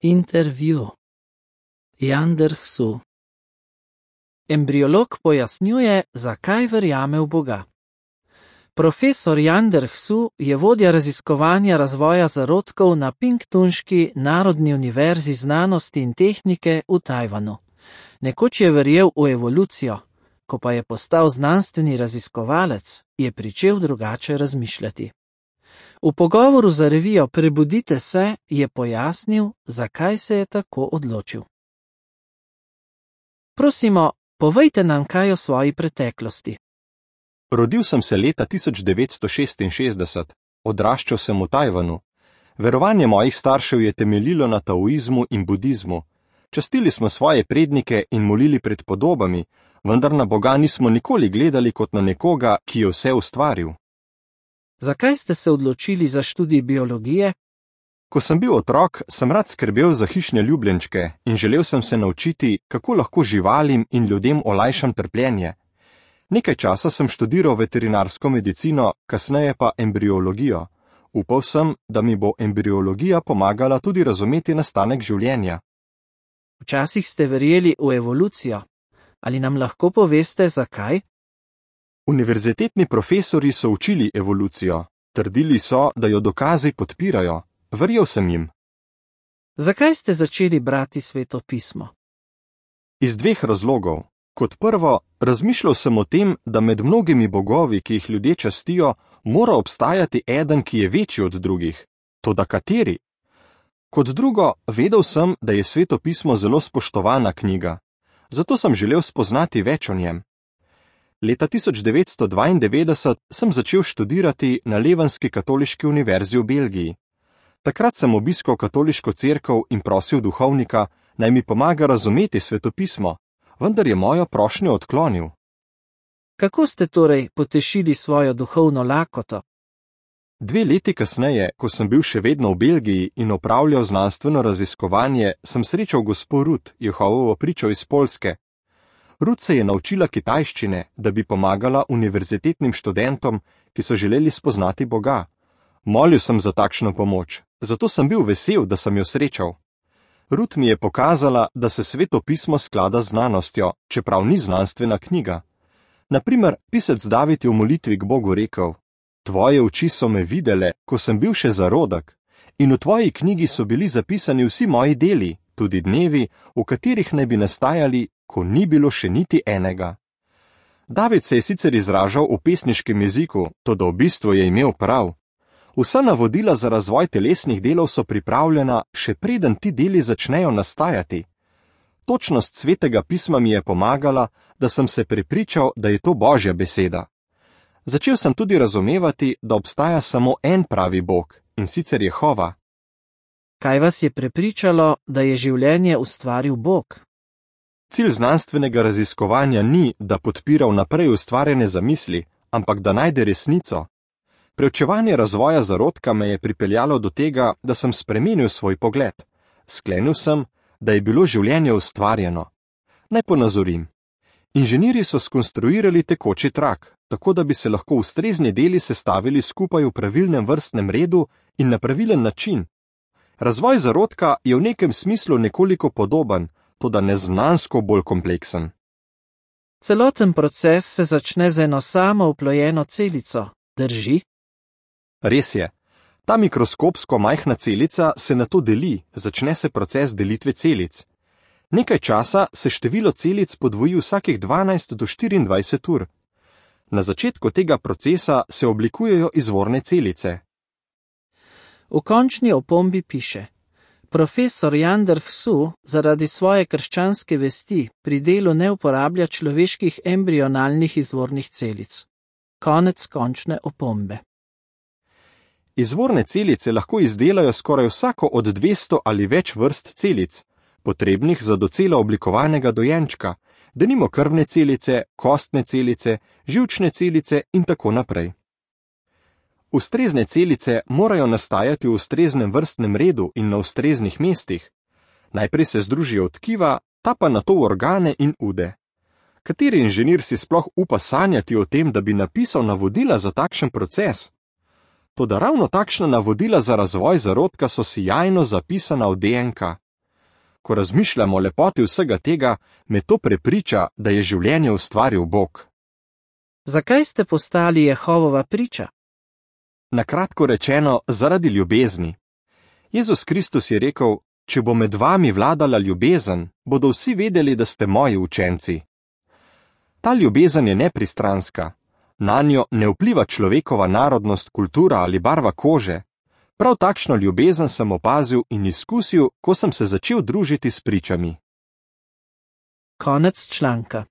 Intervju. Yandersu. Embriolog pojasnjuje, zakaj verjame v Boga. Profesor Yandersu je vodja raziskovanja razvoja zarodkov na Pingtunški Narodni univerzi znanosti in tehnike v Tajvanu. Nekoč je verjel v evolucijo, ko pa je postal znanstveni raziskovalec, je pričel drugače razmišljati. V pogovoru za revijo Prebudite se je pojasnil, zakaj se je tako odločil. Prosimo, povejte nam kaj o svoji preteklosti. Rodil sem se leta 1966, odraščal sem v Tajvanu. Verovanje mojih staršev je temeljilo na taoizmu in budizmu. Častili smo svoje prednike in molili pred podobami, vendar na Boga nismo nikoli gledali kot na nekoga, ki je vse ustvaril. Zakaj ste se odločili za študij biologije? Ko sem bil otrok, sem rad skrbel za hišne ljubljenčke in želel sem se naučiti, kako lahko živalim in ljudem olajšam trpljenje. Nekaj časa sem študiral veterinarsko medicino, kasneje pa embriologijo. Upal sem, da mi bo embriologija pomagala tudi razumeti nastanek življenja. Včasih ste verjeli v evolucijo. Ali nam lahko poveste, zakaj? Univerzitetni profesori so učili evolucijo. Trdili so, da jo dokazi podpirajo. Verjel sem jim. Zakaj ste začeli brati Sveto pismo? Iz dveh razlogov. Kot prvo, razmišljal sem o tem, da med mnogimi bogovi, ki jih ljudje častijo, mora obstajati eden, ki je večji od drugih. Toda kateri? Kot drugo, vedel sem, da je Sveto pismo zelo spoštovana knjiga. Zato sem želel spoznati več o njem. Leta 1992 sem začel študirati na Levenski katoliški univerzi v Belgiji. Takrat sem obiskal katoliško cerkev in prosil duhovnika, naj mi pomaga razumeti Sveto pismo, vendar je mojo prošnjo odklonil. Kako ste torej potešili svojo duhovno lakoto? 2 leti kasneje, ko sem bil še vedno v Belgiji in opravljal znanstveno raziskovanje, sem srečal gospo Ruth, Jehovovo pričo iz Poljske. Ruth se je naučila kitajščine, da bi pomagala univerzitetnim študentom, ki so želeli spoznati Boga. Molil sem za takšno pomoč, zato sem bil vesel, da sem jo srečal. Ruth mi je pokazala, da se Sveto pismo sklada z znanostjo, čeprav ni znanstvena knjiga. Naprimer, pisec David je v molitvi k Bogu rekel: Tvoje oči so me videle, ko sem bil še zarodek, in v tvoji knjigi so bili zapisani vsi moji deli, tudi dnevi, v katerih naj bi nastajali, ko ni bilo še niti enega. David se je sicer izražal v pesniškem jeziku, toda v bistvu je imel prav. Vsa navodila za razvoj telesnih delov so pripravljena, še preden ti deli začnejo nastajati. Točnost Svetega pisma mi je pomagala, da sem se prepričal, da je to Božja beseda. Začel sem tudi razumevati, da obstaja samo en pravi Bog, in sicer Jehova. Kaj vas je prepričalo, da je življenje ustvaril Bog? Cilj znanstvenega raziskovanja ni, da podpira vnaprej ustvarjene zamisli, ampak da najde resnico. Preučevanje razvoja zarodka me je pripeljalo do tega, da sem spremenil svoj pogled. Sklenil sem, da je bilo življenje ustvarjeno. Naj ponazorim. Inženirji so skonstruirali tekoči trak, tako da bi se lahko ustrezni deli sestavili skupaj v pravilnem vrstnem redu in na pravilen način. Razvoj zarodka je v nekem smislu nekoliko podoben, toda neznansko bolj kompleksen. Celoten proces se začne z eno samo oplojeno celico, drži? Res je. Ta mikroskopsko majhna celica se nato deli, začne se proces delitve celic. Nekaj časa se število celic podvoji vsakih 12 do 24 ur. Na začetku tega procesa se oblikujejo izvorne celice. V končni opombi piše: Profesor Yandersu zaradi svoje krščanske vesti pri delu ne uporablja človeških embrionalnih izvornih celic. Konec končne opombe. Izvorne celice lahko izdelajo skoraj vsako od 200 ali več vrst celic, potrebnih za docela oblikovanega dojenčka, denimo krvne celice, kostne celice, živčne celice in tako naprej. Ustrezne celice morajo nastajati v ustreznem vrstnem redu in na ustreznih mestih. Najprej se združijo v tkiva, ta pa nato v organe in ude. Kateri inženir si sploh upa sanjati o tem, da bi napisal navodila za takšen proces? Toda ravno takšna navodila za razvoj zarodka so sijajno zapisana v DNK. Ko razmišljam o lepoti vsega tega, me to prepriča, da je življenje ustvaril Bog. Zakaj ste postali Jehovova priča? Na kratko rečeno, zaradi ljubezni. Jezus Kristus je rekel: če bo med vami vladala ljubezen, bodo vsi vedeli, da ste moji učenci. Ta ljubezen je nepristranska. Nanjo ne vpliva človekova narodnost, kultura ali barva kože. Prav takšno ljubezen sem opazil in izkusil, ko sem se začel družiti s pričami. Konec članka.